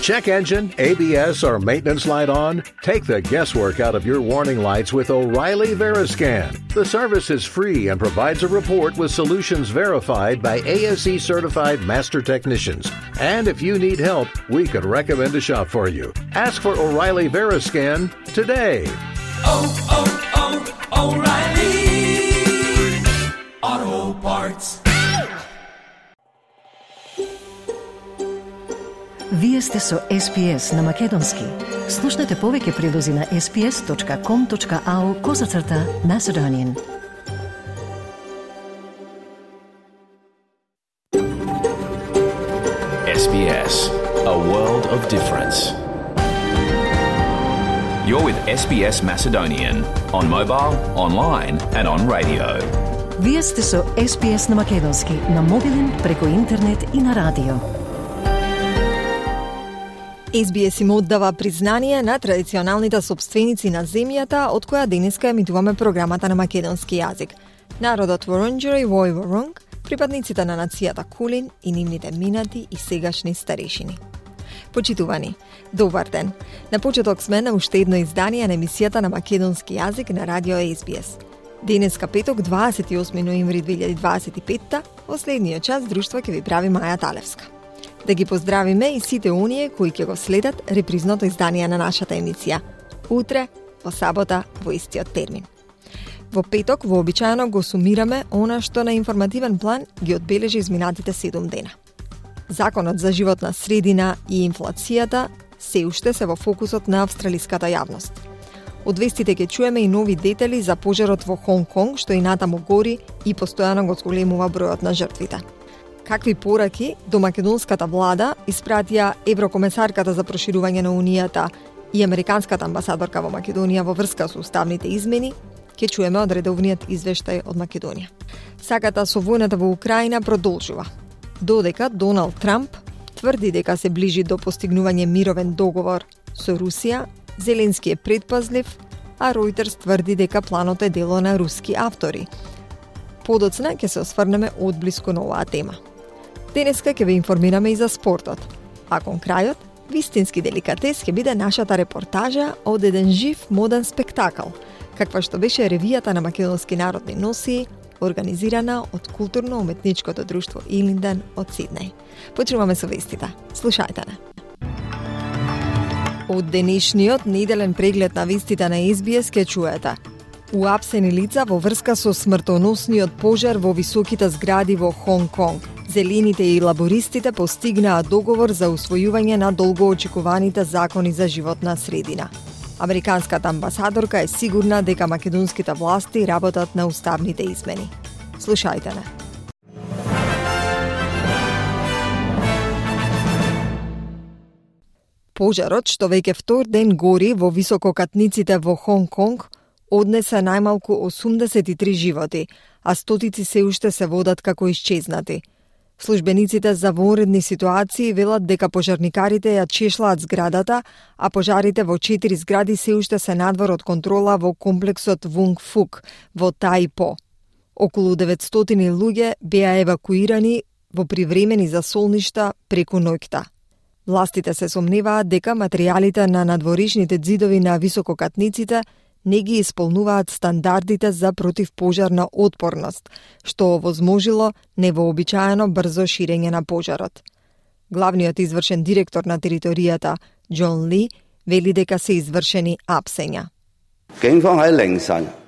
check engine, ABS, or maintenance light on? Take the guesswork out of your warning lights with O'Reilly Veriscan. The service is free and provides a report with solutions verified by ASE certified master technicians. And if you need help, we could recommend a shop for you. Ask for O'Reilly Veriscan today. O'Reilly Auto Parts. Вие сте со SPS на Македонски. Слушнете повеќе прилози на sps.com.au/Macedonian. SBS, a world of difference. You're with SBS Macedonian on mobile, online and on radio. Вие сте со SPS на Македонски на мобилен, преку интернет и на радио. SBS им оддава признание на традиционалните собственици на земјата од која денеска емитуваме програмата на македонски јазик. Народот Ворунџери Вој Ворунг, припадниците на нацијата Кулин и нивните минати и сегашни старешини. Почитувани, добар ден. На почеток сме на уште едно издание на емисијата на македонски јазик на радио SBS. Денеска петок, 28 ноември 2025, во следниот час друштво ќе ви прави Маја Талевска. Да ги поздравиме и сите оние кои ќе го следат репризното издание на нашата емисија. Утре, во сабота, во истиот термин. Во петок, вообичаено го сумираме она што на информативен план ги одбележи изминатите 7 дена. Законот за животна средина и инфлацијата се уште се во фокусот на австралиската јавност. Од вестите ќе чуеме и нови детали за пожарот во Хонг Конг, што и натаму гори и постојано го зголемува бројот на жртвите. Какви пораки до македонската влада испратија еврокомесарката за проширување на Унијата и американската амбасадорка во Македонија во врска со уставните измени, ќе чуеме од редовниот извештај од Македонија. Саката со војната во Украина продолжува. Додека Доналд Трамп тврди дека се ближи до постигнување мировен договор со Русија, Зеленски е предпазлив, а Ројтерс тврди дека планот е дело на руски автори. Подоцна ќе се осврнеме одблиску на оваа тема. Денеска ќе ве информираме и за спортот, а кон крајот, вистински деликатес ќе биде нашата репортажа од еден жив моден спектакл, каква што беше ревијата на македонски народни носии, организирана од културно-уметничкото друштво Илинден од Сиднеј. Почнуваме со вестите. Слушајте не. Од денешниот неделен преглед на вестите на SBS ќе чуете: уапсени лица во врска со смртоносниот пожар во високите згради во Хонг Конг. Зелените и лабористите постигнаа договор за усвојување на долгоочекуваните закони за животна средина. Американската амбасадорка е сигурна дека македонските власти работат на уставните измени. Слушајте не. Пожарот, што веќе втор ден гори во висококатниците во Хонг Конг, однесе најмалку 83 животи, а стотици се уште се водат како исчезнати. Службениците за вонредни ситуации велат дека пожарникарите ја чешлаат зградата, а пожарите во 4 згради се уште се надвор од контрола во комплексот Вунг Фук во Таипо. Околу 900 луѓе беа евакуирани во привремени засолништа преку ноќта. Властите се сомневаат дека материјалите на надворишните ѕидови на висококатниците не ги исполнуваат стандардите за противпожарна отпорност, што овозможило невообичаено брзо ширење на пожарот. Главниот извршен директор на територијата, Џон Ли, вели дека се извршени апсења.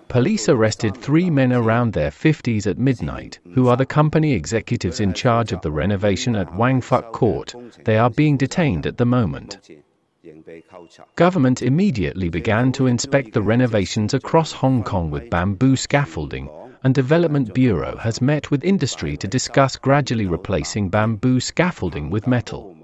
Police arrested 3 men around their 50s at midnight, who are the company executives in charge of the renovation at Wang Fuk Court. They are being detained at the moment. Government immediately began to inspect the renovations across Hong Kong with bamboo scaffolding, and Development Bureau has met with industry to discuss gradually replacing bamboo scaffolding with metal.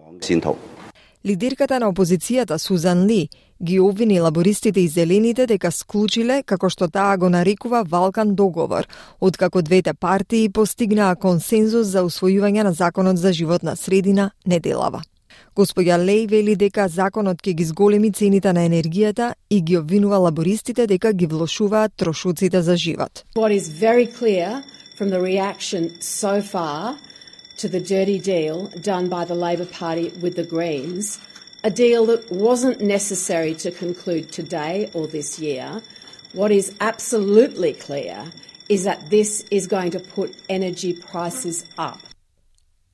Лидерката на опозицијата Сузан Ли ги обвини лабористите и зелените дека склучиле, како што таа го нарекува, валкан договор, откако двете партии постигнаа консензус за усвојување на законот за животна средина неделава. Господја Леј вели дека законот ќе ги зголеми цените на енергијата и ги обвинува лабористите дека ги влошуваат трошоците за живот. What is very clear from the reaction so far to the dirty deal done by the Labor Party with the Greens a deal that wasn't necessary to conclude today or this year. What is absolutely clear is that this is going to put energy prices up.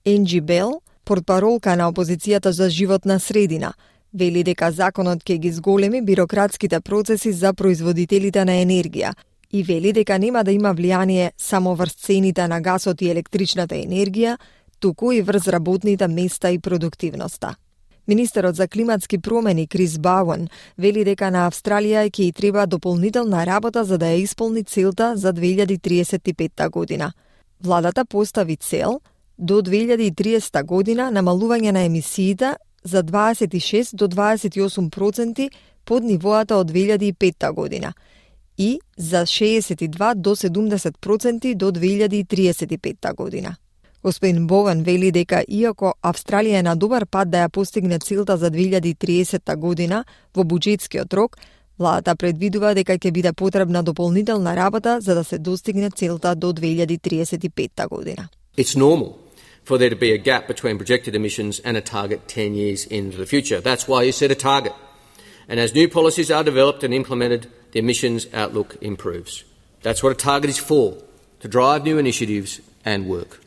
Енджи Бел, портпаролка на опозицијата за животна средина, вели дека законот ќе ги зголеми бирократските процеси за производителите на енергија и вели дека нема да има влијание само врз цените на гасот и електричната енергија, туку и врз работните места и продуктивноста. Министерот за климатски промени Крис Бауен вели дека на Австралија ќе и треба дополнителна работа за да ја исполни целта за 2035 година. Владата постави цел до 2030 година намалување на емисиите за 26 до 28% под нивоата од 2005 година и за 62 до 70% до 2035 година. Господин Бован вели дека иако Австралија е на добар пат да ја постигне целта за 2030 година во буџетскиот рок, владата предвидува дека ќе биде потребна дополнителна работа за да се достигне целта до 2035 година. It's normal for there to be a gap between projected emissions and a target 10 years into the future. That's why you set a target. And as new policies are developed and implemented, the emissions outlook improves. That's what a target is for, to drive new initiatives and work.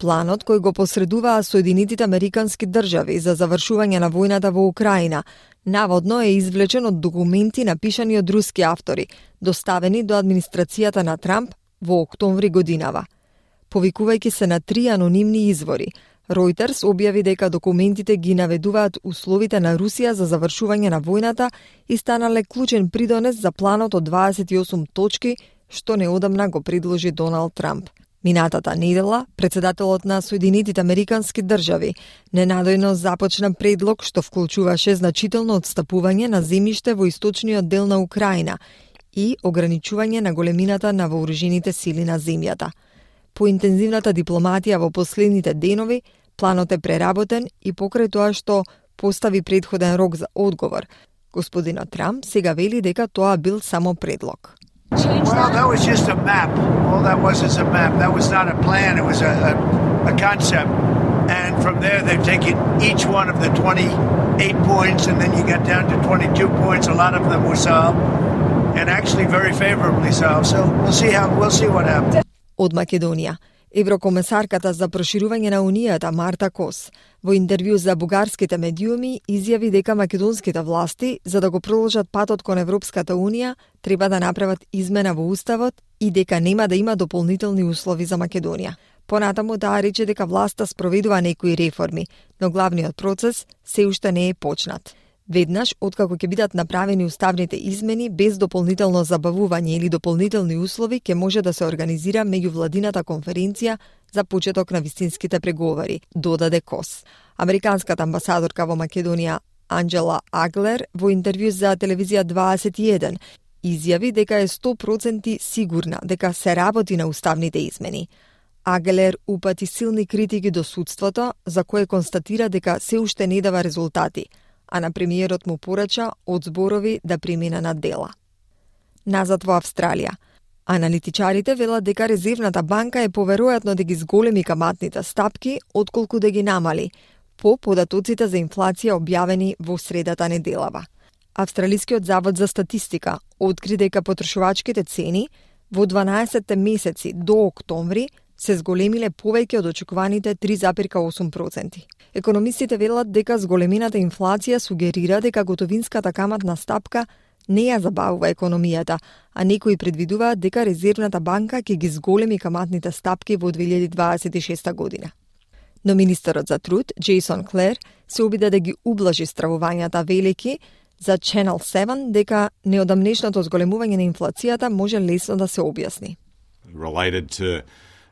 Планот кој го посредуваа Соединетите Американски држави за завршување на војната во Украина наводно е извлечен од документи напишани од руски автори, доставени до администрацијата на Трамп во октомври годинава. Повикувајќи се на 3 анонимни извори, Reuters објави дека документите ги наведуваат условите на Русија за завршување на војната и станале клучен придонес за планот од 28 точки што неодамна го предложи Доналд Трамп. Минатата недела, председателот на Соединетите Американски држави ненадојно започна предлог што вклучуваше значително отстапување на земјиште во источниот дел на Украина и ограничување на големината на вооружените сили на земјата. По интензивната дипломатија во последните денови, планот е преработен и покрај тоа што постави предходен рок за одговор, господинот Трамп сега вели дека тоа бил само предлог. Well, that was just a map. All that was is a map. That was not a plan. It was a concept. And from there, they've taken each one of the 28 points, and then you got down to 22 points. A lot of them were solved, and actually very favorably solved. So we'll see what happens. Од Македонија, еврокомесарката за проширување на Унијата Марта Кос во интервју за бугарските медиуми изјави дека македонските власти, за да го продолжат патот кон Европската Унија, треба да направат измена во Уставот и дека нема да има дополнителни услови за Македонија. Понатаму таа рече дека власта спроведува некои реформи, но главниот процес се уште не е почнат. Веднаш, откако ќе бидат направени уставните измени, без дополнително забавување или дополнителни услови, ќе може да се организира меѓувладината конференција за почеток на вистинските преговори, додаде Кос. Американската амбасадорка во Македонија Анджела Аглер во интервју за телевизија 21 изјави дека е 100% сигурна дека се работи на уставните измени. Аглер упати силни критики до судството, за кое констатира дека се уште не дава резултати, а на премиерот му порача од зборови да премине на дела. Назад во Австралија. Аналитичарите велат дека Резервната банка е поверојатно да ги зголеми каматните стапки, отколку да ги намали, по податоците за инфлација објавени во средата неделава. Австралискиот завод за статистика откри дека потрошувачките цени во 12 месеци до октомври се зголемиле повеќе од очекуваните 3,8%. Економистите велат дека зголемената инфлација сугерира дека готовинската каматна стапка не ја забавува економијата, а некои предвидуваат дека Резервната банка ќе ги зголеми каматните стапки во 2026 година. Но министерот за труд, Джейсон Клер, се обиде да ги ублажи стравувањата велики за Channel 7 дека неодамнешното зголемување на инфлацијата може лесно да се објасни. Related to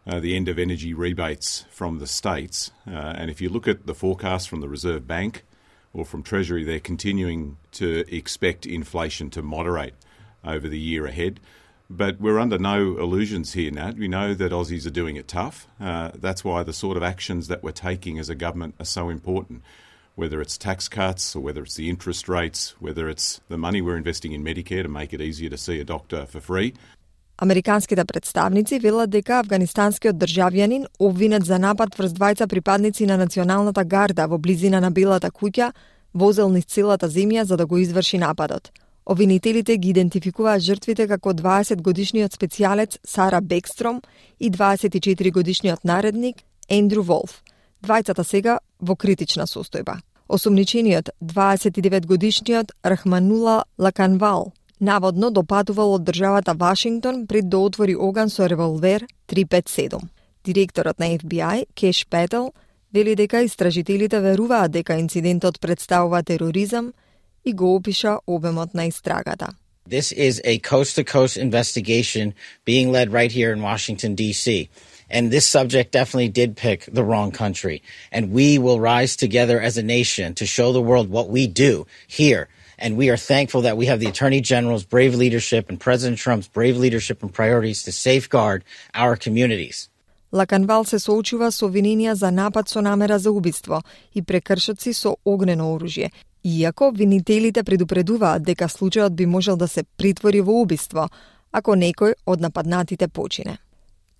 the end of energy rebates from the states. And if you look at the forecast from the Reserve Bank or from Treasury, they're continuing to expect inflation to moderate over the year ahead. But we're under no illusions here, Nat. We know that Aussies are doing it tough. That's why the sort of actions that we're taking as a government are so important, whether it's tax cuts or whether it's the interest rates, whether it's the money we're investing in Medicare to make it easier to see a doctor for free. Американските представници велат дека афганистанскиот државјанин обвинет за напад врз двајца припадници на националната гарда во близина на Белата куќа возел низ целата земја за да го изврши нападот. Обвинителите ги идентификуваат жртвите како 20-годишниот специјалец Сара Бекстром и 24-годишниот наредник Ендрю Волф. Двајцата сега во критична состојба. Осумничениот 29-годишниот Рахманула Лаканвал наводно допатувал од државата Вашингтон пред да отвори оган со револвер 357. Директорот на FBI, Кеш Петел, вели дека истражителите веруваат дека инцидентот представува тероризам и го опиша обемот на истрагата. This is a coast-to-coast investigation being led right here in Washington, D.C. And this subject definitely did pick the wrong country. And we will rise together as a nation to show the world what we do here. And we are thankful that we have the Attorney General's brave leadership and President Trump's brave leadership and priorities to safeguard our communities. Лаканвал се соочува со обвиненија за напад со намера за убиство и прекршоци со огнено оружје, иако обвинителите предупредуваат дека случајот би можел да се притвори во убиство, ако некој од нападнатите почине.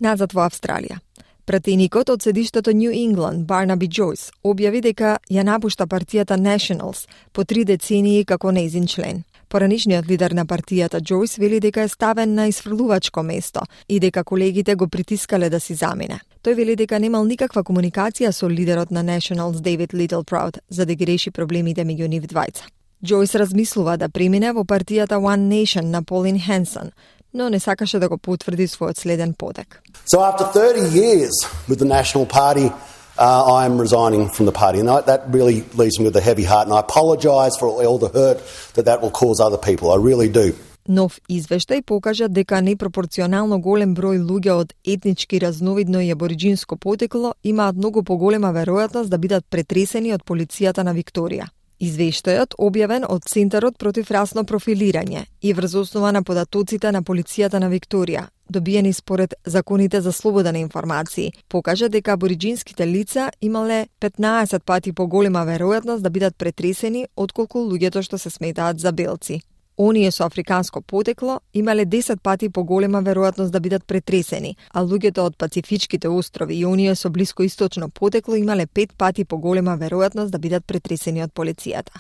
Назад во Австралија. Пратеникот од седиштето New England, Барнаби Джойс, објави дека ја напушта партијата Nationals по 3 децении како нејзин член. Поранишниот лидер на партијата Джойс вели дека е ставен на исфрлувачко место и дека колегите го притискале да си замине. Тој вели дека немал никаква комуникација со лидерот на Nationals David Littleproud за да ги реши проблемите меѓу нив двајца. Джойс размислува да премине во партијата One Nation на Pauline Hanson, но не сакаше да го потврди својот следен подек. So after 30 years with the National Party, I am resigning from the party, and that really leaves me with a heavy heart, and I apologise for all the hurt that will cause other people. I really do. Нов извештај покажа дека непропорционално голем број луѓе од етнички разновидно и абориџинско потекло имаат многу поголема веројатност да бидат претресени од полицијата на Викторија. Извештајот, објавен од Центарот против расно профилирање и врз основа на податоците на полицијата на Викторија, добиени според законите за слобода на информации, покажа дека абориџинските лица имале 15 пати поголема веројатност да бидат претресени отколку луѓето што се сметаат за белци. Оние со африканско потекло имале 10 пати поголема веројатност да бидат претресени, а луѓето од Пацифичките острови и оние со блискоисточно потекло имале 5 пати поголема веројатност да бидат претресени од полицијата.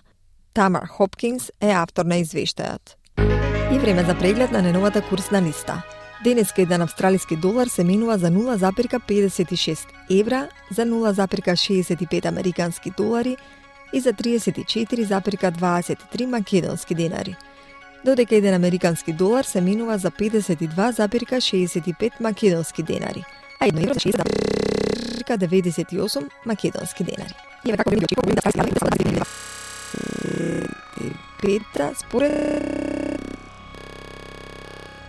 Тамар Хопкинс е автор на извештајот. И време за преглед на неновата курсна листа. Денеска еден австралиски долар се менува за 0,56 евра, за 0,65 американски долари и за 34,23 македонски денари. Додека еден американски долар се менува за 52,65 македонски денари, а едно евро за 60,98 македонски денари. И како ви пета според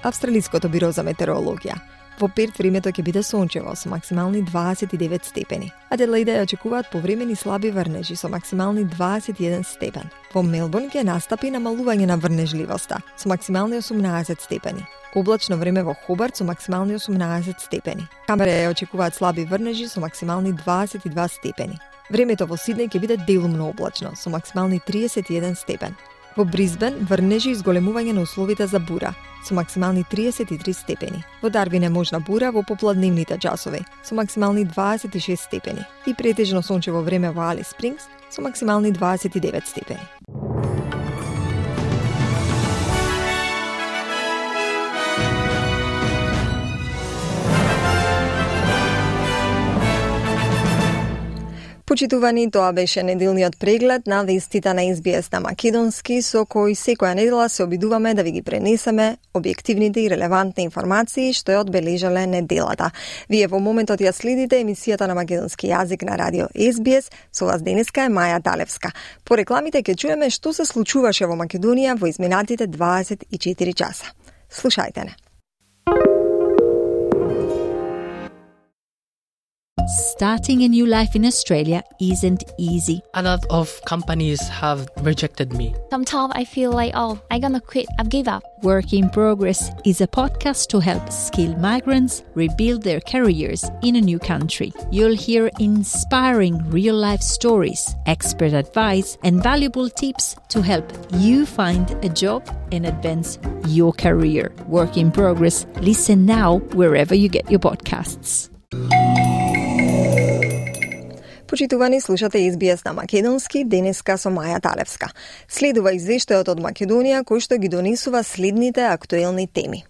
Австралиското биро за метеорологија. Во Перт времето ќе биде сончево со максимални 29 степени. Аделаида ја очекуваат повремени слаби врнежи со максимални 21 степен. Во Мелбурн ќе настапи намалување на врнежливоста со максимални 18 степени. Облачно време во Хобарт со максимални 18 степени. Камбера ја очекуваат слаби врнежи со максимални 22 степени. Времето во Сиднеј ќе биде делумно облачно со максимални 31 степен. Во Брисбен врнежи и зголемување на условите за бура со максимални 33 степени. Во Дарвин е можна бура во попладневните часови со максимални 26 степени и претежно сончево време во Алис Спрингс со максимални 29 степени. Почитувани, тоа беше неделниот преглед на вестите на SBS на македонски, со кој секоја недела се обидуваме да ви ги пренесеме објективните и релевантни информации што ја одбележале неделата. Вие во моментот ја следите емисијата на македонски јазик на радио SBS, со вас денеска е Маја Талевска. По рекламите ќе чуеме што се случуваше во Македонија во изминатите 24 часа. Слушајте не. Starting a new life in Australia isn't easy. A lot of companies have rejected me. Sometimes I feel like, I'm gonna quit, I've given up. Work in Progress is a podcast to help skilled migrants rebuild their careers in a new country. You'll hear inspiring real-life stories, expert advice, and valuable tips to help you find a job and advance your career. Work in Progress. Listen now wherever you get your podcasts. Почитувани, слушате SBS на македонски, денеска со Маја Талевска. Следува извештајот од Македонија кој што ги донесува следните актуелни теми.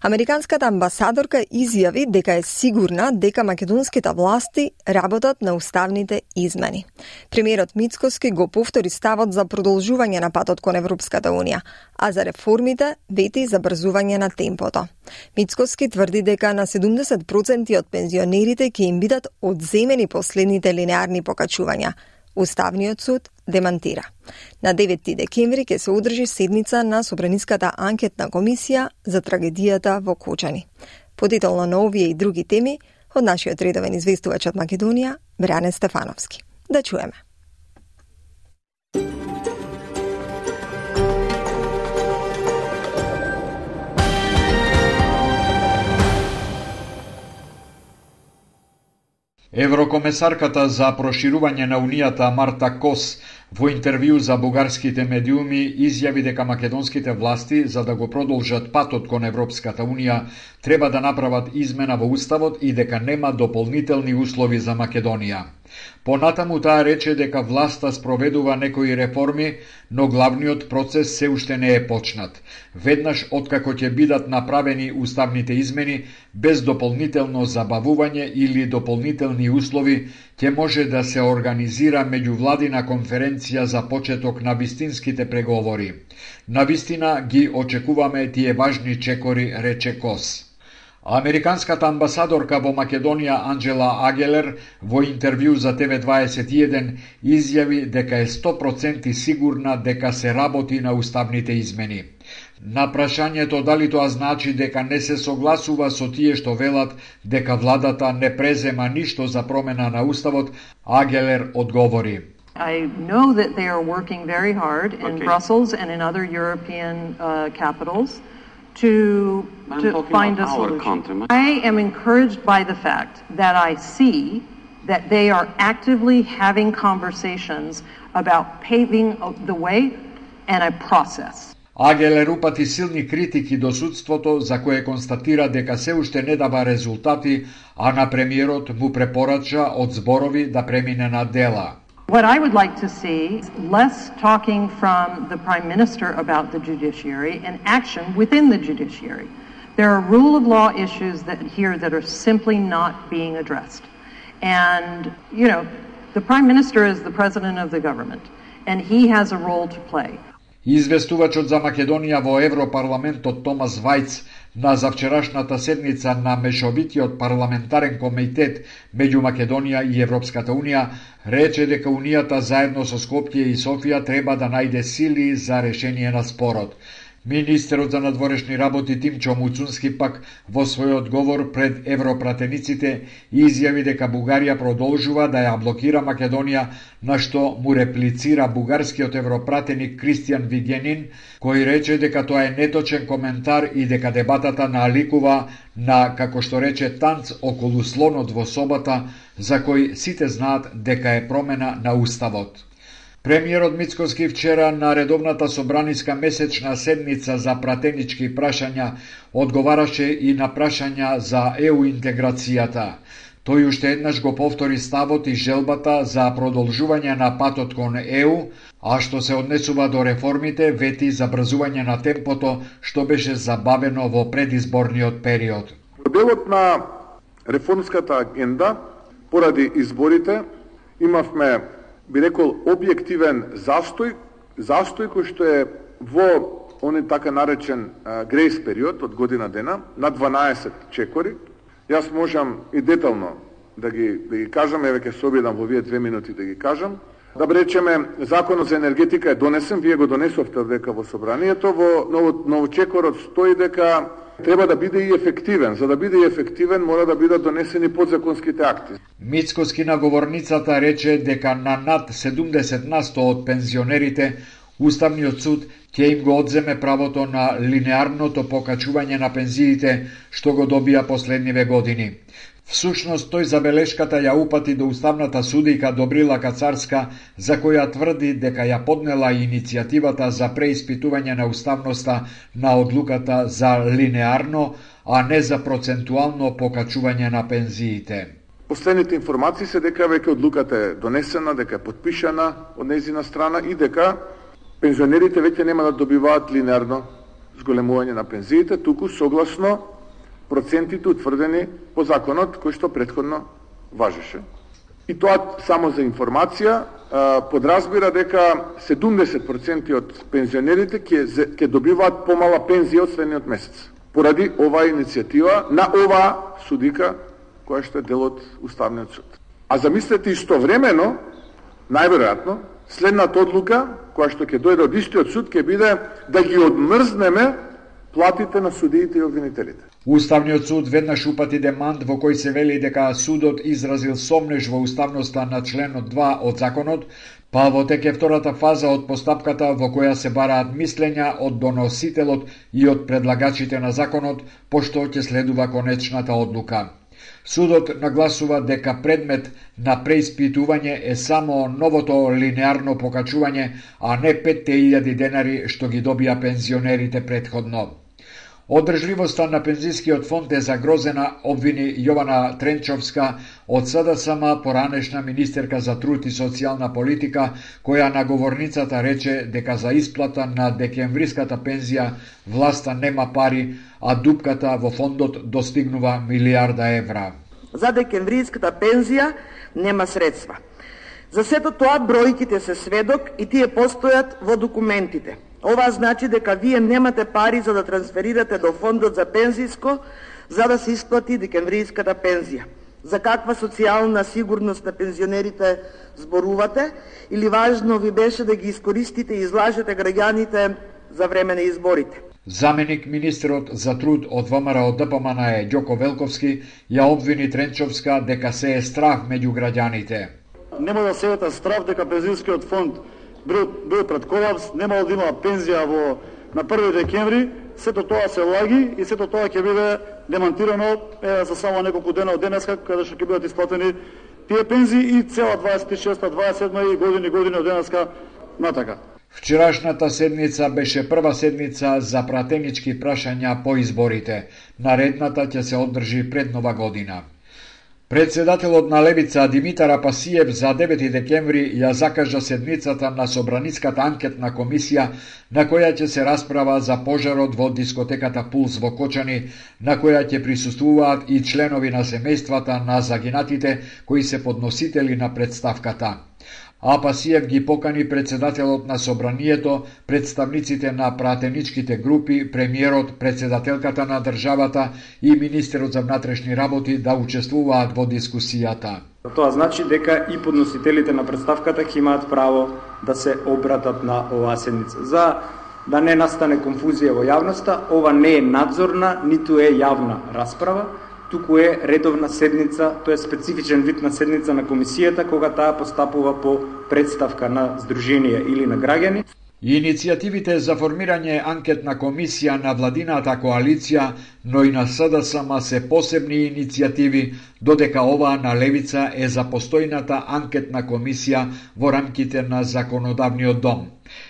Американската амбасадорка изјави дека е сигурна дека македонските власти работат на уставните измени. Премиерот Мицкоски го повтори ставот за продолжување на патот кон Европската Унија, а за реформите вети забрзување на темпото. Мицкоски тврди дека на 70% од пензионерите ќе им бидат одземени последните линеарни покачувања. Уставниот суд демантира. На 9 декември ќе се одржи седница на Собраниската анкетна комисија за трагедијата во Кочани. Подетелно на овие и други теми од нашиот редовен известувач од Македонија, Бране Стефановски. Да чуеме. Еврокомесарката за проширување на Унијата Марта Кос во интервју за бугарските медиуми изјави дека македонските власти, за да го продолжат патот кон Европската Унија, треба да направат измена во Уставот и дека нема дополнителни услови за Македонија. Понатаму таа рече дека власта спроведува некои реформи, но главниот процес се уште не е почнат. Веднаш откако ќе бидат направени уставните измени, без дополнително забавување или дополнителни услови, ќе може да се организира меѓувладина конференција за почеток на вистинските преговори. Навистина ги очекуваме тие важни чекори, рече Кос. Американската амбасадорка во Македонија Анджела Агелер во интервју за TV21 изјави дека е 100% сигурна дека се работи на уставните измени. На прашањето дали тоа значи дека не се согласува со тие што велат дека владата не презема ништо за промена на уставот, Агелер одговори: I know that they are working very hard in Brussels and in other European capitals to find a solution. I am encouraged by the fact that I see that they are actively having conversations about paving the way and a process. Агелер упати силни критики до судството за кое констатира дека се уште не дава резултати, а на премиерот му препорача од зборови да премине на дела. What I would like to see is less talking from the Prime Minister about the judiciary and action within the judiciary. There are rule of law issues that are simply not being addressed. And, the Prime Minister is the President of the government, and he has a role to play. Известувачот за Македонија во Европарламентот Томас Вајц на завчерашната седница на Мешовитиот парламентарен комитет меѓу Македонија и Европската Унија рече дека Унијата заедно со Скопје и Софија треба да најде сили за решение на спорот. Министерот за надворешни работи Тимчо Муцунски пак во свој одговор пред европратениците изјави дека Бугарија продолжува да ја блокира Македонија, на што му реплицира бугарскиот европратеник Кристијан Вигенин, кој рече дека тоа е неточен коментар и дека дебатата наликува на, како што рече, танц околу слонот во собата, за кој сите знаат дека е промена на уставот. Премиерот Мицкоски вчера на редовната собраниска месечна седница за пратенички прашања одговараше и на прашања за ЕУ интеграцијата. Тој уште еднаш го повтори ставот и желбата за продолжување на патот кон ЕУ, а што се однесува до реформите, вети забрзување на темпото што беше забавено во предизборниот период. Во делот на реформската агенда, поради изборите, имавме, би рекол, објективен застој кој што е во оној така наречен грейс период од година дена, на 12 чекори. Јас можам и детално да ги кажам, еве ќе се обидам во овие 2 минути да ги кажам. Да речеме, законот за енергетика е донесен, вие го донесовте дека во собранието, во новочекорот стои дека треба да биде и ефективен. За да биде и ефективен, мора да бидат донесени подзаконските акти. Мицкоски на говорницата рече дека на над 70% од пензионерите Уставниот суд ќе им го одземе правото на линеарното покачување на пензиите што го добија последниве години. Всушност, тој забелешката ја упати до уставната судика Добрила Кацарска, за која тврди дека ја поднела иницијативата за преиспитување на уставноста на одлуката за линеарно, а не за процентуално покачување на пензиите. Последните информации се дека веќе одлуката е донесена, дека е подпишана од нејзина страна и дека пензионерите веќе нема да добиваат линеарно зголемување на пензиите, туку согласно процентите утврдени по законот кој што претходно важеше. И тоа само за информација подразбира дека 70% од пензионерите ќе добиваат помала пензија од следниот месец. Поради оваа иницијатива на оваа судика која што е дел од Уставниот суд. А замислете истовремено, најверојатно, следната одлука која што ќе дојде од истиот суд ќе биде да ги одмрзнеме платите на судиите и обвинителите. Уставниот суд веднаш упати демант во кој се вели дека судот изразил сомнеж во уставноста на членот 2 од законот, па во тек е втората фаза од постапката во која се бараат мислења од доносителот и од предлагачите на законот, пошто ќе следува конечната одлука. Судот нагласува дека предмет на преиспитување е само новото линеарно покачување, а не 5.000 денари што ги добија пензионерите претходно. Одржливоста на пензискиот фонд е загрозена, обвини Јована Тренчовска од СДСМ, поранешна министерка за труд и социјална политика, која на говорницата рече дека за исплата на декемвриската пензија власта нема пари, а дупката во фондот достигнува милиарда евра. За декемвриската пензија нема средства. За сето тоа бројките се сведок и тие постојат во документите. Ова значи дека вие немате пари за да трансферирате до фондот за пензиско за да се исплати декемвриската пензија. За каква социјална сигурност на пензионерите зборувате или важно ви беше да ги искористите и излажете граѓаните за време на изборите? Заменик министерот за труд од ВМРО ДПМН е Ѓоко Велковски ја обвини Тренчовска дека се е страх меѓу граѓаните. Нема да се ета страв дека пензионскиот фонд бил пред колапс, немало да има пензија на 1 декември, сето тоа се лаги и сето тоа ќе биде демонтирано за само неколку дена од денеска, каде што ќе бидат исплатени тие пензии и цела 26-та, 27-та и години од денеска натака. Вчерашната седница беше прва седница за пратенички прашања по изборите. Наредната ќе се одржи пред Нова година. Председателот на Левица Димитар Апасиев за 9 декември ја закажа седницата на Собраниската анкетна комисија на која ќе се расправа за пожарот во дискотеката Пулс во Кочани, на која ќе присуствуваат и членови на семејствата на загинатите кои се подносители на представката. Апасиев ги покани председателот на Собранието, представниците на пратеничките групи, премиерот, председателката на државата и министерот за внатрешни работи да учествуваат во дискусијата. Тоа значи дека и подносителите на представката ќе имаат право да се обратат на оваа седница. За да не настане конфузија во јавноста, ова не е надзорна, ниту е јавна расправа, туку е редовна седница, тоа е специфичен вид на седница на комисијата кога таа постапува по представка на здруженија или на граѓани. Иницијативите за формирање анкетна комисија на владината коалиција, но и на СДСМ се посебни иницијативи, додека оваа на Левица е за постојната анкетна комисија во рамките на законодавниот дом.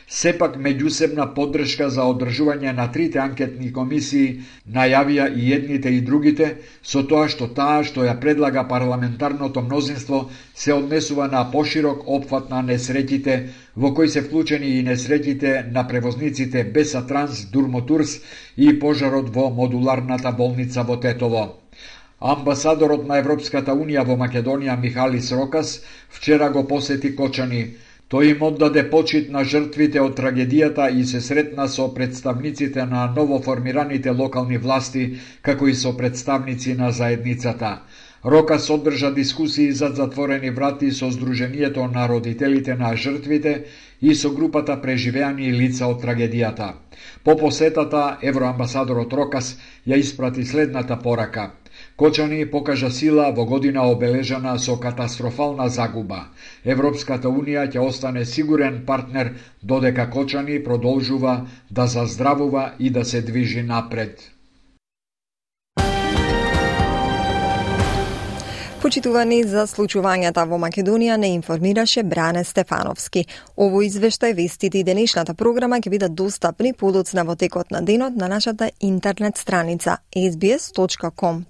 Сепак меѓусебна поддршка за одржување на трите анкетни комисии најавија и едните и другите, со тоа што ја предлага парламентарното мнозинство се однесува на поширок опфат на несреќите, во кои се вклучени и несреќите на превозниците Беса Транс, Дурмотурс и пожарот во модуларната болница во Тетово. Амбасадорот на Европската Унија во Македонија Михалис Рокас вчера го посети Кочани. Тој им оддаде почит на жртвите од трагедијата и се сретна со представниците на новоформираните локални власти, како и со представници на заедницата. Рокас одржа дискусии зад затворени врати со Сдруженијето на родителите на жртвите и со групата преживеани лица од трагедијата. По посетата, евроамбасадорот Рокас ја испрати следната порака. Кочани покажа сила во година обележана со катастрофална загуба. Европската Унија ќе остане сигурен партнер додека Кочани продолжува да заздравува и да се движи напред. Почитувани, за случувањата во Македонија не информираше Бране Стефановски. Овој извештај, вестите и денешната програма ќе бидат достапни подоцна во текот на денот на нашата интернет страница sbs.com.au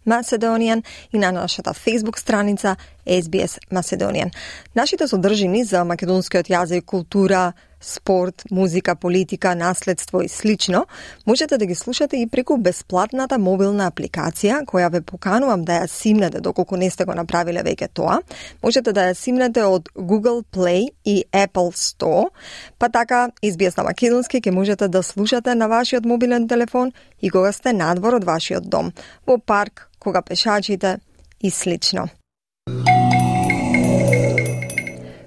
Macedonian и на нашата Facebook страница SBS Macedonian. Нашите содржини за македонскиот јазик, култура, спорт, музика, политика, наследство и слично можете да ги слушате и преку бесплатната мобилна апликација која ве поканувам да ја симнете доколку не сте го направиле веќе тоа. Можете да ја симнете од Google Play и Apple Store, па така SBS на македонски ќе можете да слушате на вашиот мобилен телефон и кога сте надвор од вашиот дом, во парк, кога пешачите и слично.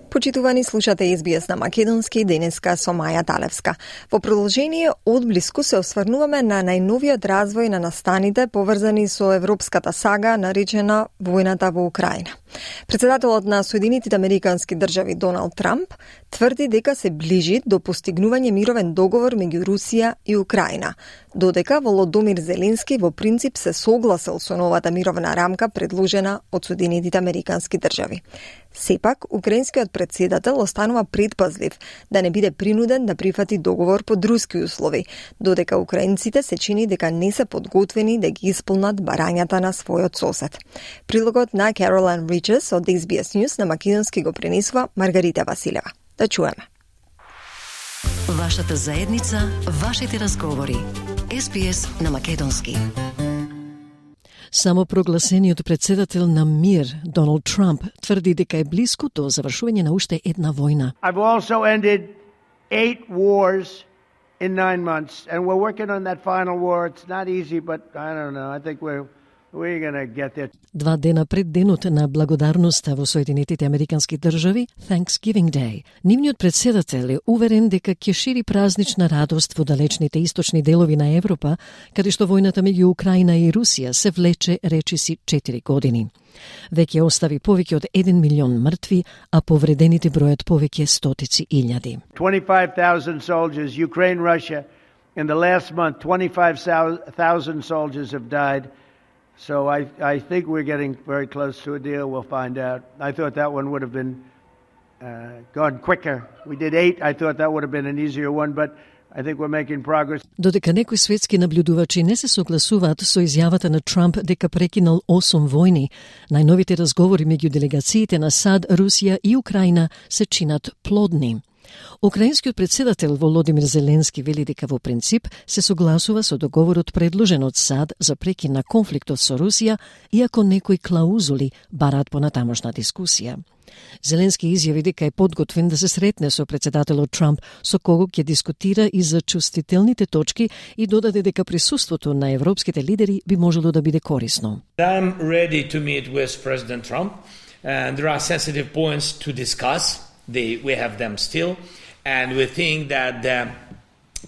Почитувани, слушате SBS на македонски денеска со Маја Талевска. Во продолжение одблиску се осврнуваме на најновиот развој на настаните поврзани со европската сага наречена војната во Украина. Председателот на Соединетите Американски држави Доналд Трамп тврди дека се ближи до постигнување мировен договор меѓу Русија и Украина, додека Володомир Зеленски во принцип се согласил со новата мировна рамка предложена од Соединетите Американски држави. Сепак, украинскиот председател останува предпазлив да не биде принуден да прифати договор под руски услови, додека украинците се чини дека не се подготвени да ги исполнат барањата на својот сосед. Прилогот на Caroline Riches од SBS News на македонски го пренесува Маргарита Василева. Да чуеме. Вашата заедница, вашите разговори. SBS на македонски. Самопрогласениот председател на МИР, Доналд Трамп, тврди дека е близко до завршување на уште една војна. I've also ended 8 wars in 9 months, and we're working on that final war. It's not easy, but I don't know. I think we're gonna get there. 2 дена пред денот на благодарноста во Соединетите Американски држави, Thanksgiving Day, нивниот председател е уверен дека ќе шири празнична радост во далечните источни делови на Европа, каде што војната меѓу Украина и Русија се влече речиси 4 години. Веќе остави повеќе од 1 милион мртви, а повредените бројат повеќе стотици илјади. 25,000 soldiers, Ukraine, Russia. In the last month, 25,000 soldiers have died. So I think we're getting very close to a deal. We'll find out. I thought that one would have been gone quicker. We did 8. I thought that would have been an easier one, but I think we're making progress. Додека некои светски наблюдувачи не се согласуваат со изјавата на Трамп дека прекинал 8 војни, најновите разговори меѓу делегациите на САД, Русија и Украина се чинат плодни. Украинскиот председател Володимир Зеленски вели дека во принцип се согласува со договорот предложен од САД за прекин на конфликтот со Русија, иако некои клаузули бараат понатамошна дискусија. Зеленски изјави дека е подготвен да се сретне со председателот Трамп, со кого ќе дискутира и за чувствителните точки, и додаде дека присуството на европските лидери би можело да биде корисно. I'm ready to meet with President Trump, and there are sensitive points to discuss. We have them still, and we think that the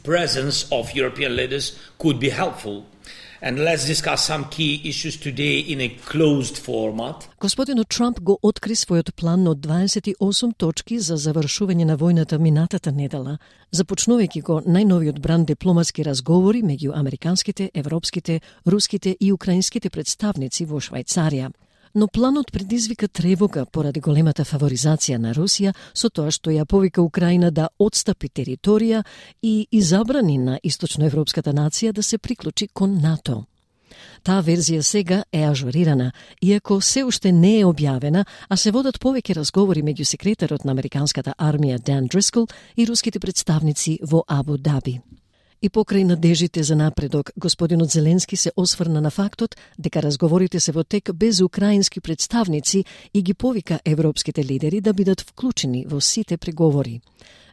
presence of European leaders could be helpful. And let's discuss some key issues today in a closed format. Господинот Трамп го откри својот план од 28 точки за завршување на војната минатата недела, започнувајќи го најновиот бранд дипломатски разговори меѓу американските, европските, руските и украинските представници во Швајцарија. Но планот предизвика тревога поради големата фаворизација на Русија со тоа што ја повика Украина да отстапи територија и забрани на источноевропската нација да се приклучи кон НАТО. Таа верзија сега е ажурирана, иако се уште не е објавена, а се водат повеќе разговори меѓу секретарот на американската армија Дан Дрискол и руските представници во Абу Даби. И покрај надежите за напредок, господинот Зеленски се осврна на фактот дека разговорите се во тек без украински представници и ги повика европските лидери да бидат вклучени во сите преговори.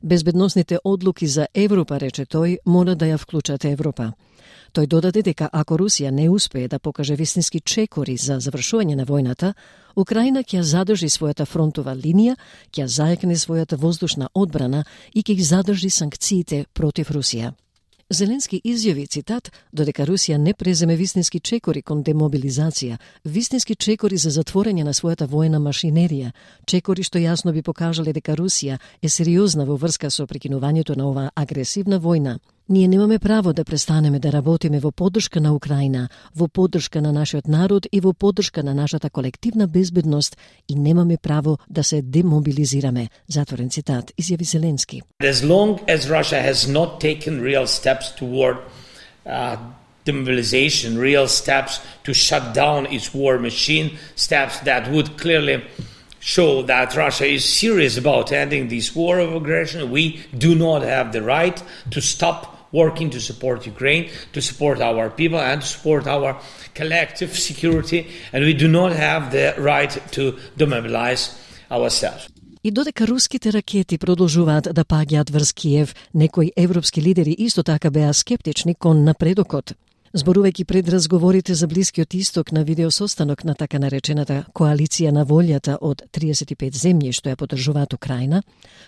Безбедносните одлуки за Европа, рече тој, мора да ја вклучат Европа. Тој додаде дека ако Русија не успее да покаже вистински чекори за завршување на војната, Украина ќе задржи својата фронтова линија, ќе зајакне својата воздушна одбрана и ќе ги задржи санкциите против Русија. Зеленски изјави, цитат, додека Русија не преземе вистински чекори кон демобилизација, вистински чекори за затворање на својата војна машинерија, чекори што јасно би покажале дека Русија е сериозна во врска со прекинувањето на оваа агресивна војна. Ние немаме право да престанеме да работиме во поддршка на Украина, во поддршка на нашиот народ и во поддршка на нашата колективна безбедност и немаме право да се демобилизираме. Затворен цитат, изјави Зеленски. As long as Russia has not taken real steps toward demobilization, real steps to shut down its war machine, steps that would clearly show that Russia is serious about ending this war of aggression. We do not have the right to stop working to support Ukraine, to support our people and to support our collective security, and we do not have the right to demobilize ourselves. И додека руските ракети продолжуваат да паѓаат врз Киев, некои европски лидери исто така беа скептични кон напредокот. Зборувајќи пред разговорите за Блискиот исток на видеосостанок на така наречената коалиција на волјата од 35 земји што ја поддржуваат Украина,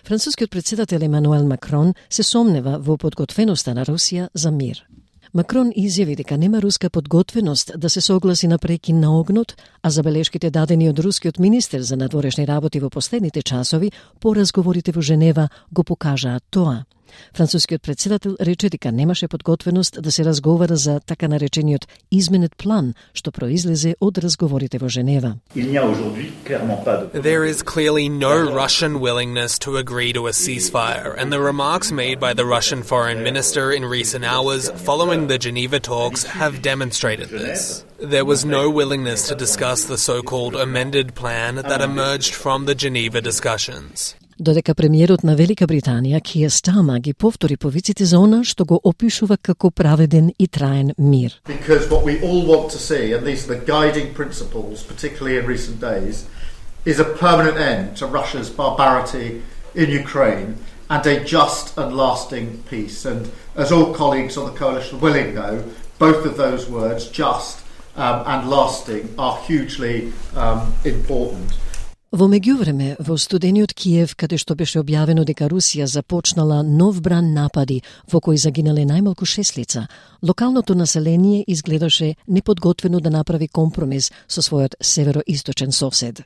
францускиот претседател Емануел Макрон се сомнева во подготвеноста на Русија за мир. Макрон изјави дека нема руска подготвеност да се согласи на прекин на огнот, а забелешките дадени од рускиот министер за надворешни работи во последните часови по разговорите во Женева го покажаат тоа. Францускиот претседател рече дека немаше подготвеност да се разговара за така наречениот изменет план, што произлезе од разговорите во Женева. There is clearly no Russian willingness to agree to a ceasefire, and the remarks made by the Russian foreign minister in recent hours following the Geneva talks have demonstrated this. There was no willingness to discuss the so-called amended plan that emerged from the Geneva discussions. Додека премиерот на Велика Британија, Киер Стармер, ги повтори повиците за она што го опишува како праведен и траен мир. Because what we all want to see, and these are the guiding principles, particularly in recent days, is a permanent end to Russia's barbarity in Ukraine and a just and lasting peace. And as all colleagues on the coalition willing know, both of those words, just and lasting, are hugely important. Во меѓувреме, во студениот Киев, каде што беше објавено дека Русија започнала нов бран напади во кои загинале најмалку 6 лица, локалното население изгледаше неподготвено да направи компромис со својот североисточен сосед.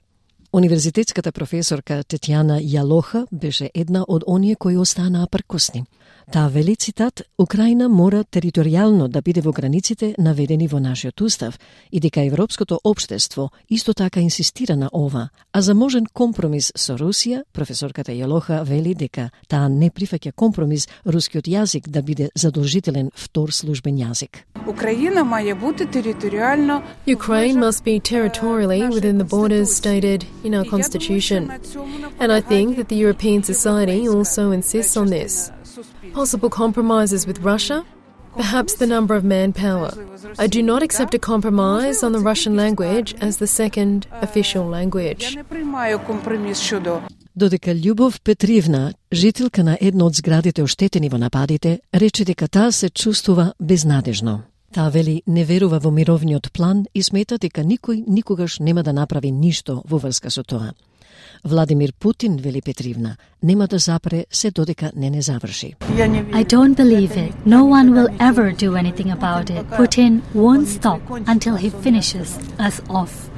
Универзитетската професорка Тетјана Јалоха беше една од оние кои останаа пркосни. Таа вели, цитат, Украина мора територијално да биде во границите наведени во нашиот устав и дека европското општество исто така инсистира на ова, а за можен компромис со Русија, професорката Јалоха вели дека таа не прифаќа компромис рускиот јазик да биде задолжителен втор службен јазик. Украина має бути територіально. Ukraine must be territorially within the borders stated in our constitution. And I think that the European society also insists on this. Possible compromises with Russia? Perhaps the number of manpower. I do not accept a compromise on the Russian language as the second official language. Додека Љубов Петривна, жителка на една од зградите оштетени во нападите, рече дека таа се чувствува безнадежно. Таа вели не верува во мировниот план и смета дека никој никогаш нема да направи ништо во врска со тоа. Владимир Путин, вели Петривна, нема да запре се додека не заврши. I don't believe it. No one will ever do anything about it. Putin won't stop until he finishes us off.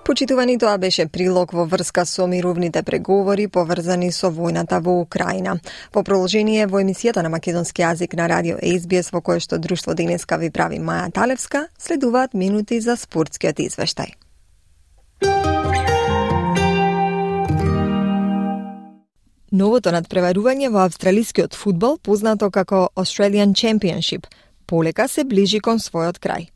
Почитувани, тоа беше прилог во врска со мировните преговори поврзани со војната во Украина. Во продолжение во емисијата на македонски јазик на радио SBS, во кое што Друштво денеска ви прави Маја Талевска, следуваат минути за спортскиот извештај. Новото надпреварување во австралискиот фудбал, познато како Australian Championship, полека се ближи кон својот крај.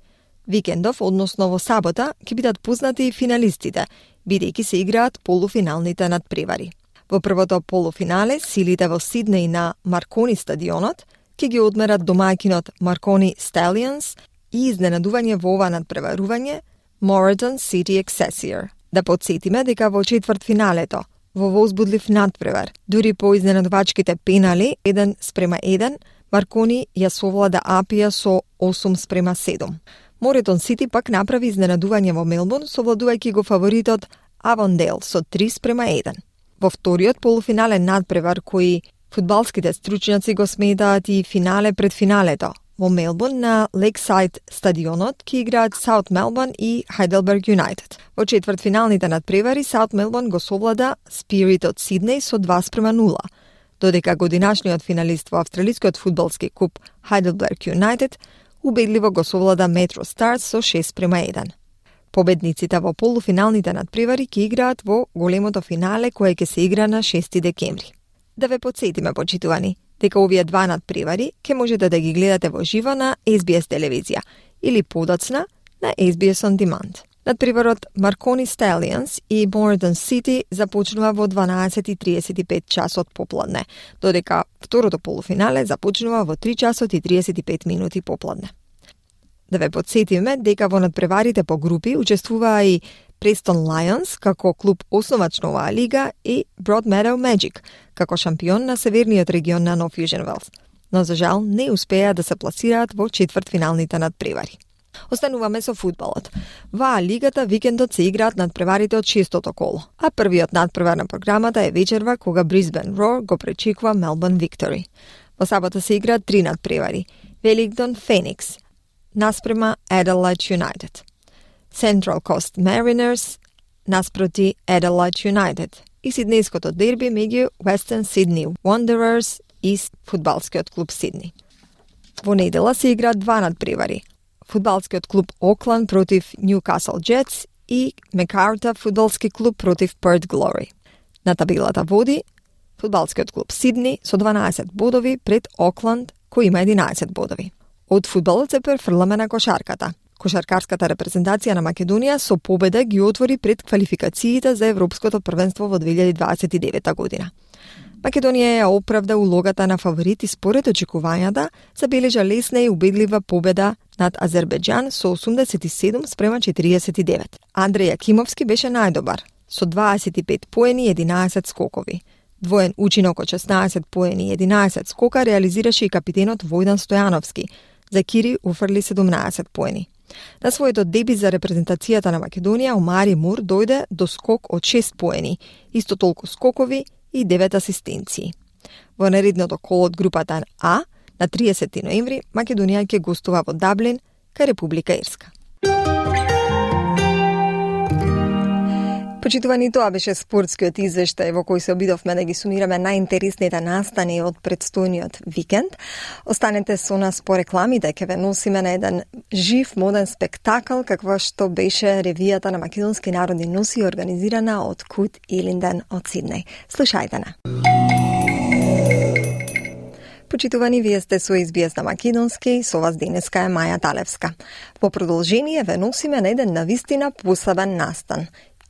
Викендов, односно во сабота, ќе бидат познати и финалистите, бидејќи се играат полуфиналните надпревари. Во првото полуфинале, силите во Сиднеј на Маркони стадионот ќе ги одмерат домаќинот Маркони Stallions и изненадување во ова надпреварување Moreton City Excelsior. Да подсетиме дека во четвртфиналето, во возбудлив надпревар, дури по изненадувачките пенали 1:1, Маркони ја совлада Апија со 8:7. Моретон Сити пак направи изненадување во Мелбурн, совладувајќи го фаворитот Авондейл со 3:1. Во вториот полуфинален надпревар, кој фудбалските стручњаци го сметаат и финале пред финалето, во Мелбурн на Лексайд стадионот ќе играат Саут Мелбурн и Хайделберг Юнайтед. Во четвртфиналните надпревари Саут Мелбурн го совлада Спирит од Сиднеј со 2:0, додека годинашниот финалист во австралискиот фудбалски куп Хайделберг Юнайтед убедливо го совлада Метро Старс со 6:1. Победниците во полуфиналните надпревари ќе играат во големото финале кое ќе се игра на 6 декември. Да ве подсетиме, почитувани, дека овие два надпревари ќе можете да ги гледате во живо на SBS телевизија или подоцна на SBS On Demand. Надпреварот Marconi Stallions и Morden City започнува во 12:35 часот попладне, додека второто полуфинале започнува во 3 часот и 35 минути попладне. Да ве подсетиме дека во надпреварите по групи учествуваа и Preston Lions како клуб основач на оваа лига и Broadmeadow Magic како шампион на северниот регион на Нов Южен Велс, но за жал не успеа да се пласираат во четвртфиналните надпревари. Остануваме со фудбалот. Во лигата викендот се играат надпреварите од 6-тото коло, а првиот надпревар на програмата е вечерва кога Brisbane Roar го пречекува Melbourne Victory. Во сабота се играат 3 надпревари. Wellington Phoenix наспрема Adelaide United. Central Coast Mariners наспроти Adelaide United и сиднејското дерби меѓу Western Sydney Wanderers и фудбалскиот клуб Сидни. Во недела се играат 2 надпревари. Фудбалскиот клуб Auckland против Newcastle Jets и Мекарта фудбалски клуб против Perth Glory. На табелата води фудбалскиот клуб Сидни со 12 бодови пред Auckland кој има 11 бодови. Од фудбалот се префрламе на кошарката. Кошаркарската репрезентација на Македонија со победа ги отвори пред квалификациите за Европското првенство во 2029 година. Македонија ја оправда улогата на фаворит и според очекувањата забележа лесна и убедлива победа над Азербејџан со 87-49. Андреј Јакимовски беше најдобар со 25 поени и 11 скокови. Двоен учинок од 16 поени и 11 скока реализираше и капитенот Војдан Стојановски. За Кири уфрли 17 поени. На својот дебют за репрезентацијата на Македонија Омари Мур дојде до скок од 6 поени, исто толку скокови и 9 асистенции. Во наредното коло од групата А, на 30 ноември, Македонија ќе гостува во Даблин, кај Република Ирска. Почитувани, тоа беше спортскиот извештај во кој се обидовме да ги сумираме најинтересните настани од предстојниот викенд. Останете со нас по рекламите, ќе ве носиме на еден жив моден спектакл каква што беше ревијата на македонски народни носи организирана од Кут Илинден од Сиднеј. Слушајте на. Почитувани, вие сте со SBS на македонски, со вас денеска е Маја Талевска. Во продолжение ве носиме на еден навистина посебен настан.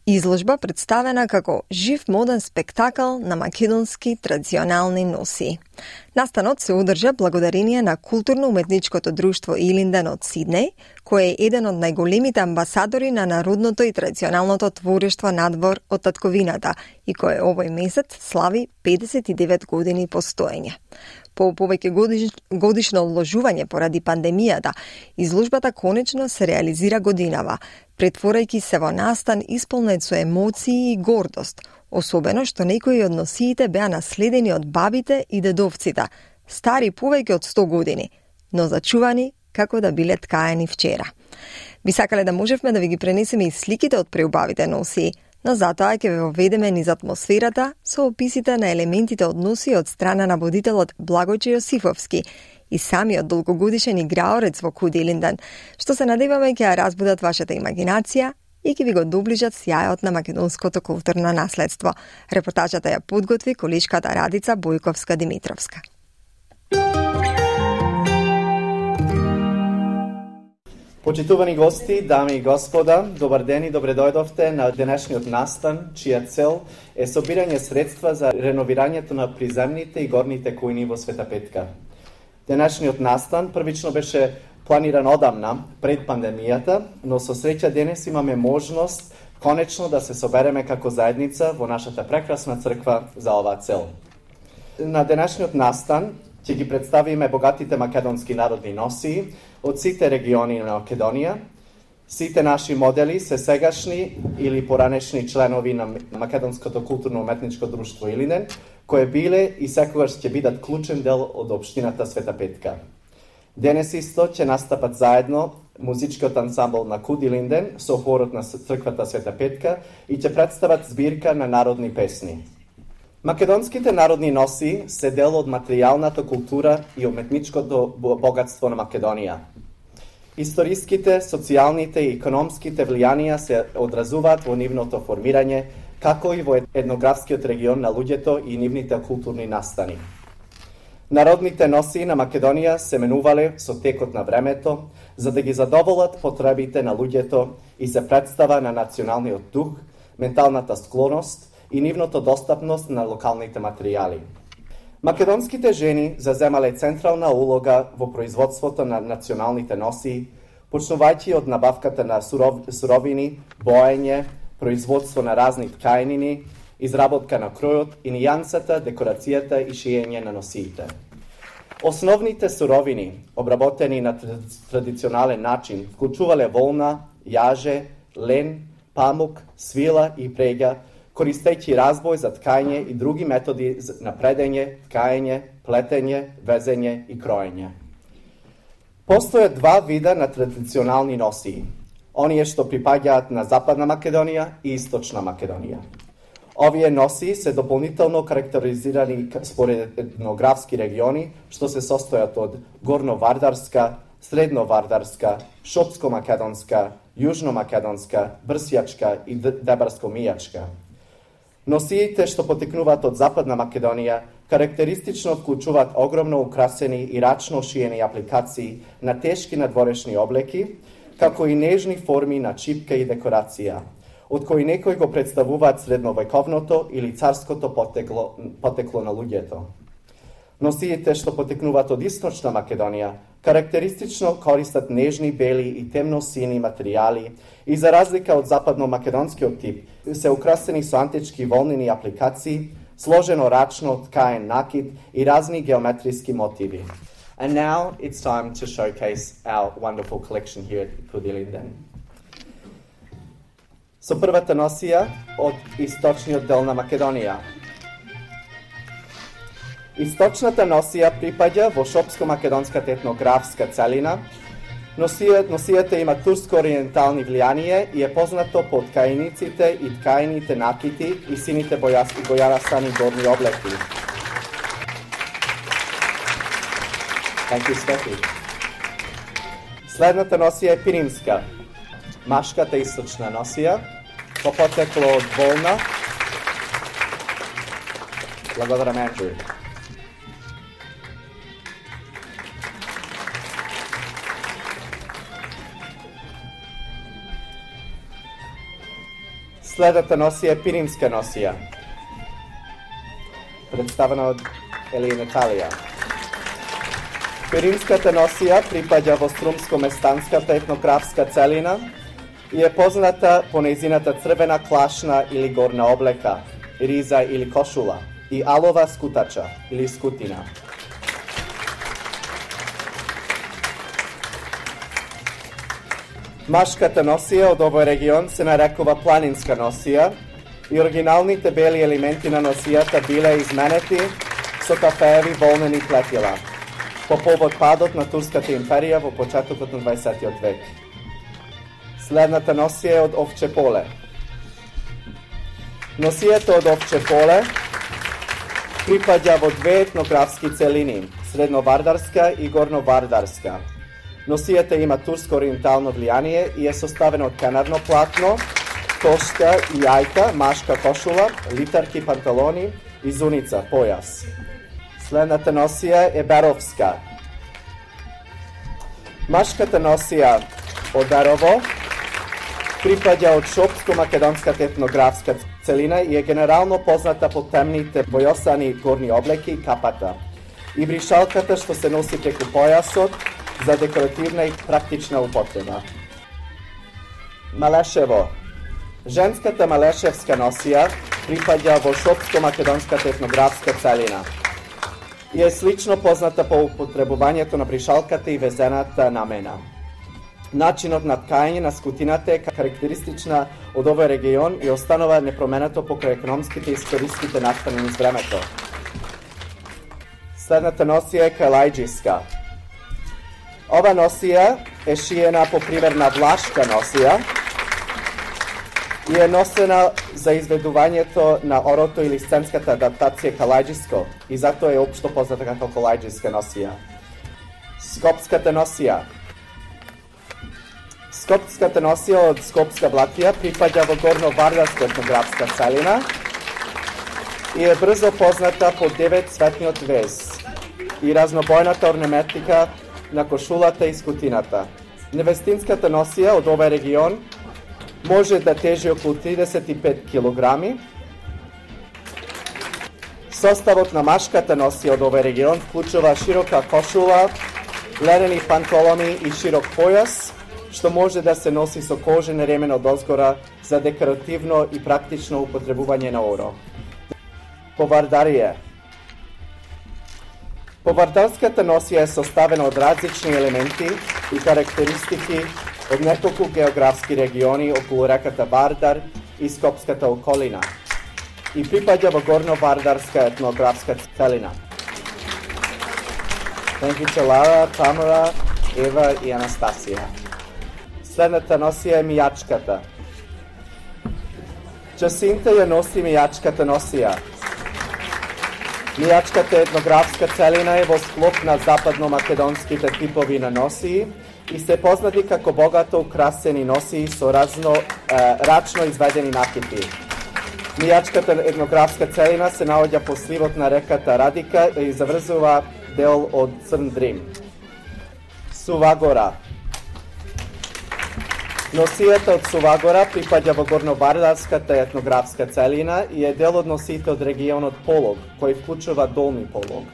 Изложба представена како жив моден спектакл на македонски традиционални носи. Настанот се одржа благодарение на културно-уметничкото друштво Илинден од Сиднеј, кој е еден од најголемите амбасадори на народното и традиционалното творештво надвор од татковината и кој овој месец слави 59 години постоење. По повеќе годишно одложување поради пандемијата, изложбата конечно се реализира годинава, претворајќи се во настан исполнет со емоции и гордост, особено што некои од носиите беа наследени од бабите и дедовците, стари повеќе од 100 години, но зачувани како да биле ткаени вчера. Би сакале да можевме да ви ги пренесеме и сликите од преубавите носи, но затоа ќе ве воведеме низ атмосферата со описите на елементите од носи од страна на водителот Благојче Јосифовски и самиот долгогодишен играорец во Кут Илинден, што се надеваме ќе ја разбудат вашата имагинација и ќе ви го доближат сјајот на македонското културно наследство. Репортажата ја подготви колешката Радица Бојковска-Димитровска. Почитувани гости, дами и господа, добар ден и добре дојдовте на денешниот настан, чија цел е собирање средства за реновирањето на приземните и горните кујни во Света Петка. Денешниот настан првично беше планиран одамна, пред пандемијата, но со среќа денес имаме можност конечно да се собереме како заедница во нашата прекрасна црква за оваа цел. На денешниот настан ќе ги представиме богатите македонски народни носи од сите региони на Македонија. Сите наши модели се сегашни или поранешни членови на Македонското културно-уметничко друштво Илинден, кои биле и секогаш ќе бидат клучен дел од општината Света Петка. Денес исто ќе настапат заедно музичкиот ансамбл на Кут Илинден со хорот на црквата Света Петка и ќе представат збирка на народни песни. Македонските народни носи се дел од материјалната култура и уметничкото богатство на Македонија. Историските, социјалните и економските влијанија се одразуваат во нивното формирање, како и во етнографскиот регион на луѓето и нивните културни настани. Народните носии на Македонија се менувале со текот на времето, за да ги задоволат потребите на луѓето и се представа на националниот дух, менталната склоност и нивното достапност на локалните материјали. Македонските жени заземале централна улога во производството на националните носии, почнувајќи од набавката на суровини, боење, производство на разни ткаенини, изработка на кројот и нијансата, декорацијата и шиење на носиите. Основните суровини, обработени на традиционален начин, вклучувале волна, јаже, лен, памук, свила и прега, користејќи разбој за ткање и други методи на предење, ткаење, плетење, везење и кроење. Постојат два вида на традиционални носии, оние што припаѓаат на Западна Македонија и Источна Македонија. Овие носии се дополнително карактеризирани според етнографски региони, што се состојат од горно-вардарска, средно-вардарска, шопско-македонска, јужно-македонска, брсјачка и дебарско-мијачка. Носиите што потекнуваат од Западна Македонија карактеристично вклучуваат огромно украсени и рачно шиени апликации на тешки надворешни облеки, како и нежни форми на чипка и декорација, од кои некои го представуваат средновековното или царското потекло на луѓето. Носиите што потекнуваат од Источна Македонија карактеристично користат нежни, бели и темно-сини материјали и за разлика од западно-македонскиот тип се украсени со антички волнени апликации, сложено рачно ткаен накид и разни геометриски мотиви. And now it's time to showcase our wonderful collection here at Kudilinden. Со првата носија од источниот дел на Македонија. Источната носија припаѓа во шопско-македонската етнографска целина. Носијата има турско-ориентални влијание и е познато по ткаениците и ткаените накити и сините бојарасани горни облеки. Thank you, Steffi. Следната носија е пиримска. Машката источна носија, по потекло од волна. Благодарам, Андрю. Следната носија е пиримска носија, представена од Елија Наталија. Пиримската носија припаѓа во струмско-местанската етнографска целина и е позната по нејзината црвена клашна или горна облека, риза или кошула и алова скутача или скутина. Машката носија од овој регион се нарекува планинска носија и оригиналните бели елементи на носијата биле изменети со кафееви волнени плетила по повод падот на Турската империја во почетокот на 20 век. Следната носија е од овче поле. Носијата од овче поле припаѓа во две етнографски целини, средновардарска и горновардарска. Носијата има турско-ориентално влијание и е составена од канарно платно, кошка и јајка, машка кошула, литарки панталони и зуница, појас. Следната носија е беровска. Машката носија од Берово припаѓа од шопско-македонската етнографска целина и е генерално позната по темните бојосани горни облеки и капата и бришалката што се носи преку појасот за декоративна и практична употреба. Малешево. Женската малешевска носија припаѓа во шопско-македонската етнографска целина и е слично позната по употребувањето на бришалката и везената намена. Начинот на ткање на скутината е карактеристична од овој регион и останува непроменето покрај економските и историските настани низ времето. Следната носија е калајџиска. Ова носија е шиена по пример на влашка носија и е носена за изведувањето на орото или сценската адаптација калајџиско и затоа е општо позната како калајџиска носија. Скопската носија. Скопската носија од Скопска Блатија припаѓа во горно-вардарска етнографска целина и е брзо позната по 9 цветниот вез и разнобојната орнаментика на кошулата и скутината. Невестинската носија од овој регион може да тежи околу 35 килограми. Составот на машката носија од овој регион вклучува широка кошула, ледени пантолони и широк појас, што може да се носи со кожен ремен од озгора за декоративно и практично употребување на оро. Повардарие. Повардарската носија е составена од различни елементи и карактеристики од неколку географски региони околу реката Вардар и Скопската околина и припаѓа во горно-вардарска етнографска целина. Тенкиче Лара, Тамара, Ева и Анастасија. Следната носија е мијачката. Джасинта ја носи мијачката носија. Мијачката етнографска целина е во склоп на западно-македонските типови на носии и се познати како богато украсени носии со рачно изведени накити. Мијачката етнографска целина се наоѓа по сливот на реката Радика и заврзува дел од Црн Дрим. Сувагора. Носијата од Сувагора припаѓа во горно-вардарската етнографска целина и е дел од носиите од регионот Полог, кој вклучува Долни Полог,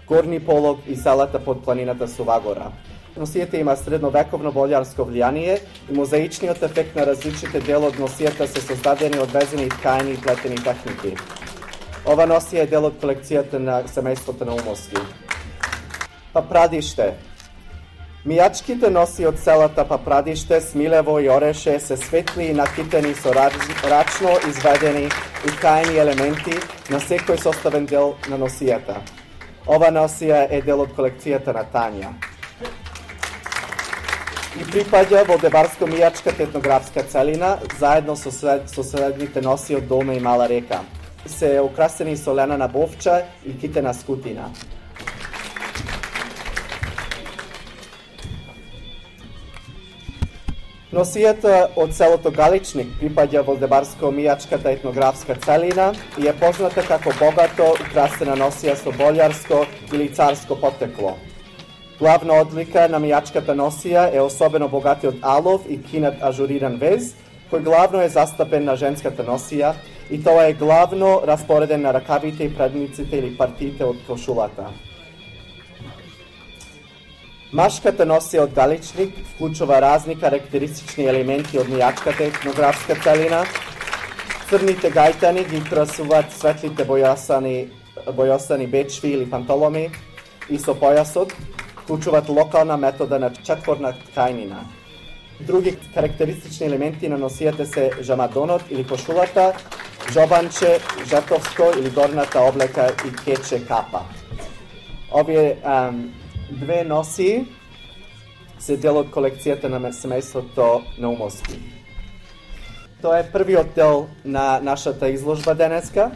Горни Полог и селата под планината Сувагора. Носијата има средновековно болјарско влијание и мозаичниот ефект на различните дел од носијата се создадени од везени ткаени и плетени техники. Ова носија е дел од колекцијата на семејството на Умовски. Папрадиште. Мијачките носи од селата Папрадиште, Смилево и Ореше се светли и накитени со рачно изведени и ткаени елементи на секој составен дел на носијата. Ова носија е дел од колекцијата на Тања. И припаѓа во Деварско-мијачката етнографска целина, заедно со следните носи од Долна и Мала река. Се украсени со ленена бовча и китена скутина. Носијата од селото Галичник припаѓа во Деварско-мијачката етнографска целина и е позната како богато украсена носија со болјарско или царско потекло. Главна одлика на мијачката носија е особено богатиот алов и кинат ажуриран вез, кој главно е застапен на женската носија и тоа е главно распореден на ракавите и предниците или партиите од кошулата. Машката носија од Галичник вклучува разни карактеристични елементи од мијачката етнографска целина. Црните гајтани ги украсуваат светлите бојосани бечви или пантоломи и со појасот вклучуваат локална метода на четворна ткајнина. Други карактеристични елементи на носијата се жамадонот или кошулата, жобанче, жетовско или горната облека и кече капа. Овие две носи се дел од колекцијата на семејството Наумовски. Тоа е првиот дел на нашата изложба денеска.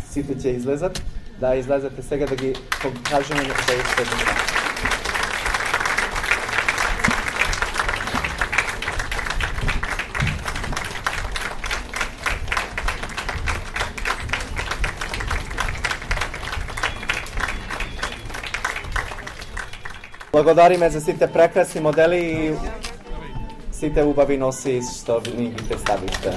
Сите ќе излезат. Да, излезете сега да ги покажеме на следните. Благодариме за сите прекрасни модели и сите убави носи што ни ги представивте.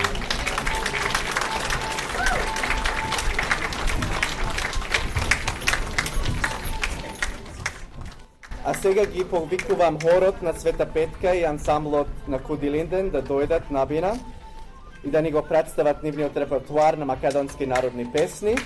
А сега ги повикувам хорот на Света Петка и ансамблот на Куди Линден да дојдат на бина и да ни го представат нивниот репертуар на македонски народни песни.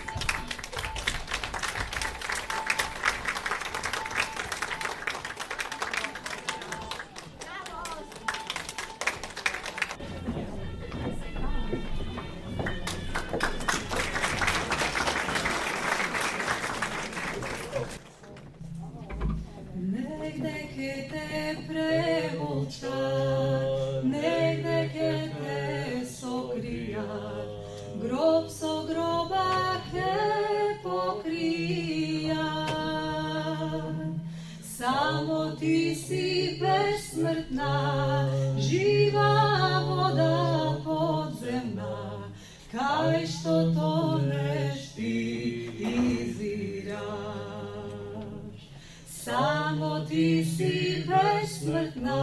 Samo ti si besmrtna,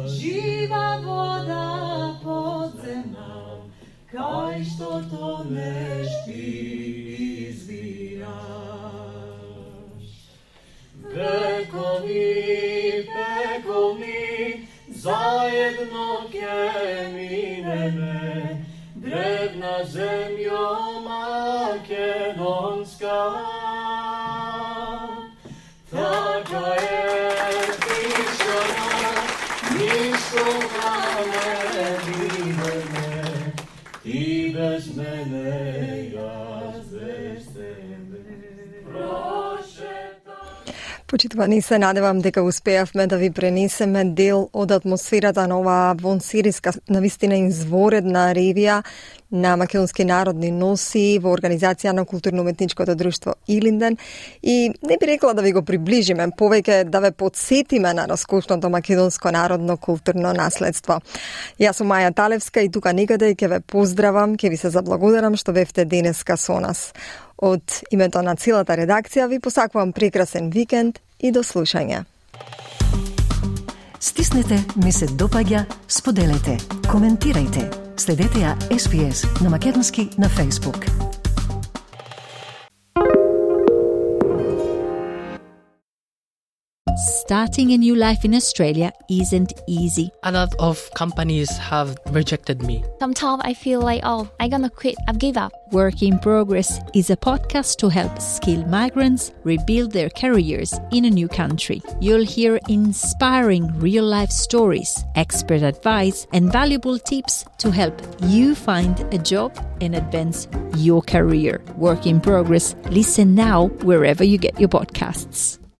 živa voda podzemna, kaj što toneš ti izviraš. Pekovi, zajedno ke mineme, drevna zemljo makedonska. Taka je tišina, nikoga ne videme, ti bez mene, ja bez tebe. Почитувани, се надевам дека успеавме да ви пренесеме дел од атмосферата на оваа вонсириска, навистина изворедна ревија на македонски народни носи во организација на културно-уметничкото друштво Илинден, и не би рекла да ви го приближиме, повеќе да ве подсетиме на раскошното македонско народно културно наследство. Јас сум Маја Талевска и тука некаде ќе ве поздравам, ќе ви се заблагодарам што бевте денеска со нас. Од името на целата редакција ви посакувам прекрасен викенд и до слушање. Стиснете, ми се допаѓа, споделете, коментирајте. Следете ја SPS на македонски на Facebook. Starting a new life in Australia isn't easy. A lot of companies have rejected me. Sometimes I feel like, I'm gonna quit, I've given up. Work in Progress is a podcast to help skilled migrants rebuild their careers in a new country. You'll hear inspiring real-life stories, expert advice, and valuable tips to help you find a job and advance your career. Work in Progress. Listen now wherever you get your podcasts.